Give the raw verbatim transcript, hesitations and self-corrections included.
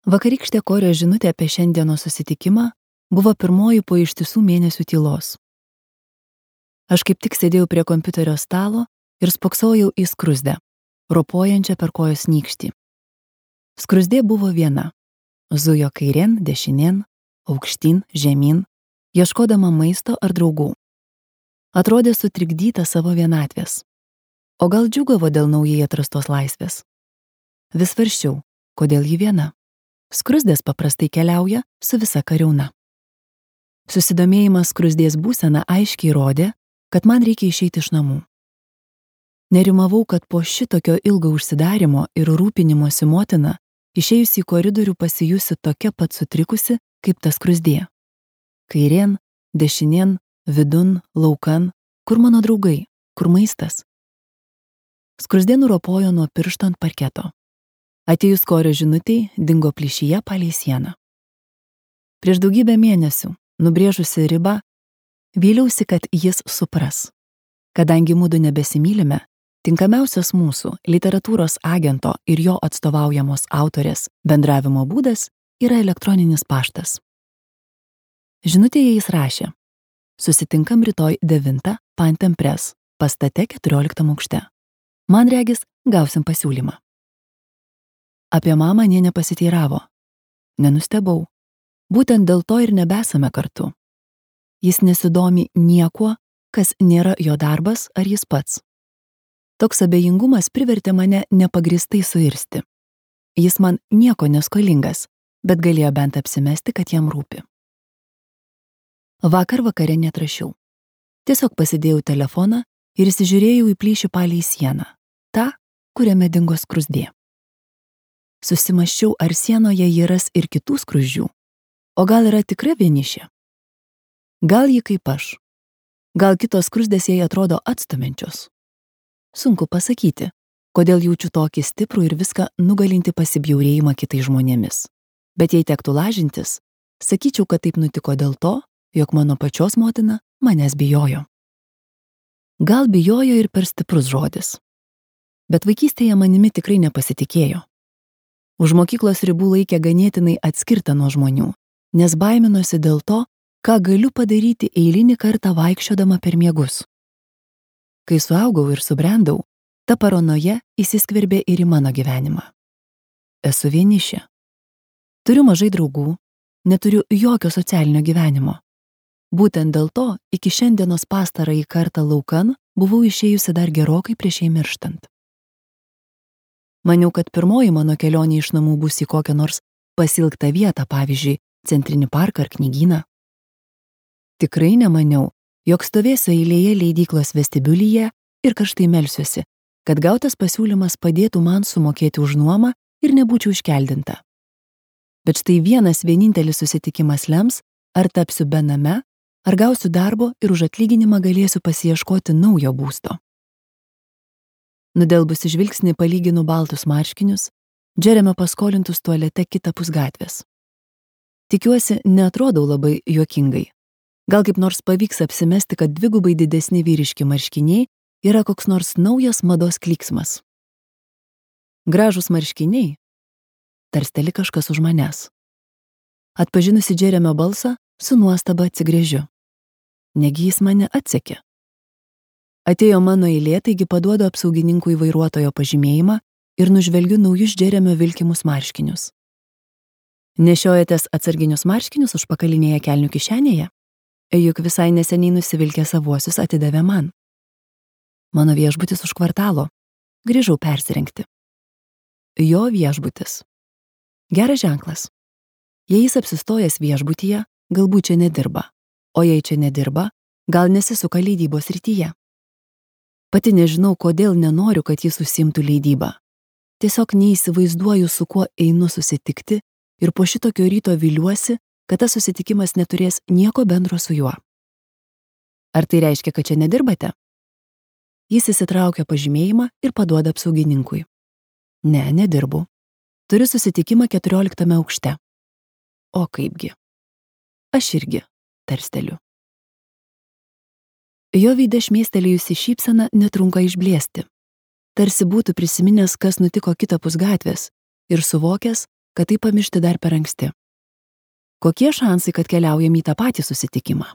Vakarykštė Korio žinutė apie šiandienos susitikimą buvo pirmoji po ištisų mėnesių tylos. Aš kaip tik sėdėjau prie kompiuterio stalo ir spoksojau į skruzdę, ropojančią per kojos nykštį. Skruzdė buvo viena. Zujo kairien, dešinien, aukštyn, žemyn, ieškodama maisto ar draugų. Atrodė sutrikdyta savo vienatvės. O gal džiūgavo dėl naujai atrastos laisvės? Vis svarsčiau, kodėl ji viena. Skruzdės paprastai keliauja su visa kariauna. Susidomėjimas skruzdės būsena aiškiai rodė, kad man reikia išeiti iš namų. Nerimavau, kad po šitokio ilgo užsidarimo ir rūpinimosi motina, išėjusi į koridorių pasijusi tokia pat sutrikusi, kaip ta skruzdė. Kairien, dešinien, vidun, laukan, kur mano draugai, kur maistas? Skruzdė nuropojo nuo piršto ant parketo. Atėjus Korio žinutei, dingo plyšyje palei sieną. Prieš daugybę mėnesių, nubrėžusi ribą, vyliausi, kad jis supras. Kadangi mudu nebesimylime, tinkamiausias mūsų literatūros agento ir jo atstovaujamos autorės bendravimo būdas yra elektroninis paštas. Žinutėje jis rašė: susitinkam rytoj devintą Pantem Press, pastate keturioliktam aukšte. Man regis, gausim pasiūlymą. Apie mamą nė nepasiteiravo. Nenustebau. Būtent dėl to ir nebesame kartu. Jis nesidomi niekuo, kas nėra jo darbas ar jis pats. Toks abejingumas privertė mane nepagristai suirsti. Jis man nieko neskolingas, bet galėjo bent apsimesti, kad jam rūpi. Vakar vakare neatrašiau. Tiesiog pasidėjau telefoną ir įsižiūrėjau į plyšį palei sieną, tą, kuriame dingo skruzdė. Susimąsčiau, ar sienoje jį ras ir kitų skruzdžių, o gal yra tikra vienišė? Gal ji kaip aš? Gal kitos skruzdės jai atrodo atstumiančios? Sunku pasakyti, kodėl jaučiu tokį stiprų ir viską nugalinti pasibjaurėjimą kitais žmonėmis. Bet jei tektų lažintis, sakyčiau, kad taip nutiko dėl to, jog mano pačios motina manęs bijojo. Gal bijojo ir per stiprus žodis. Bet vaikystėje manimi tikrai nepasitikėjo. Už mokyklos ribų laikė ganėtinai atskirta nuo žmonių, nes baiminosi dėl to, ką galiu padaryti eilinį kartą vaikščiodama per miegus. Kai suaugau ir subrendau, ta paranoja įsiskverbė ir į mano gyvenimą. Esu vienišė. Turiu mažai draugų, neturiu jokio socialinio gyvenimo. Būtent dėl to iki šiandienos pastarąjį kartą laukan buvau išėjusi dar gerokai prieš jai mirštant. Maniau, kad pirmoji mano kelionė iš namų bus į kokią nors pasilgtą vietą, pavyzdžiui, centrinį parką ar knygyną. Tikrai nemaniau, jog stovėsiu eilėje leidyklos vestibiulyje ir karštai melsiuosi, kad gautas pasiūlymas padėtų man sumokėti už nuomą ir nebūčiau iškeldinta. Bet štai vienas vienintelis susitikimas lems, ar tapsiu bename, ar gausiu darbo ir už atlyginimą galėsiu pasiieškoti naujo būsto. Nudelbusi žvilgsnį palyginu baltus marškinius, Džeremio paskolintus tualete kitapus gatvės. Tikiuosi, neatrodau labai juokingai. Gal kaip nors pavyks apsimesti, kad dvigubai didesni vyriški marškiniai yra koks nors naujas mados klyksmas. Gražūs marškiniai, tarsteli kažkas už manęs. Atpažinusi Džeremio balsą, su nuostaba atsigręžiu. Negi jis mane atsekė. Atėjo mano eilė, taigi paduodu apsaugininkui vairuotojo pažymėjimą ir nužvelgiu naujus Džeremio vilkimus marškinius. Nešiojatės atsarginius marškinius užpakalinėje kelnių kišenėje? Juk visai neseniai nusivilkę savuosius atidavė man. Mano viešbutis už kvartalo. Grįžau persirengti. Jo viešbutis. Geras ženklas. Jei jis apsistojęs viešbutyje, galbūt čia nedirba. O jei čia nedirba, gal nesisuka leidybos srityje. Pati nežinau, kodėl nenoriu, kad jis užsiimtų leidybą. Tiesiog neįsivaizduoju, su kuo einu susitikti ir po šitokio ryto viliuosi, kad tas susitikimas neturės nieko bendro su juo. Ar tai reiškia, kad čia nedirbate? Jis įsitraukia pažymėjimą ir paduoda apsaugininkui. Ne, nedirbu. Turiu susitikimą keturioliktame aukšte. O kaipgi? Aš irgi, tarsteliu. Jo veide šmėstelėjusi šypsena netrunka išblėsti. Tarsi būtų prisiminęs, kas nutiko kitapus gatvės ir suvokęs, kad tai pamiršti dar per anksti. Kokie šansai, kad keliaujam į tą patį susitikimą?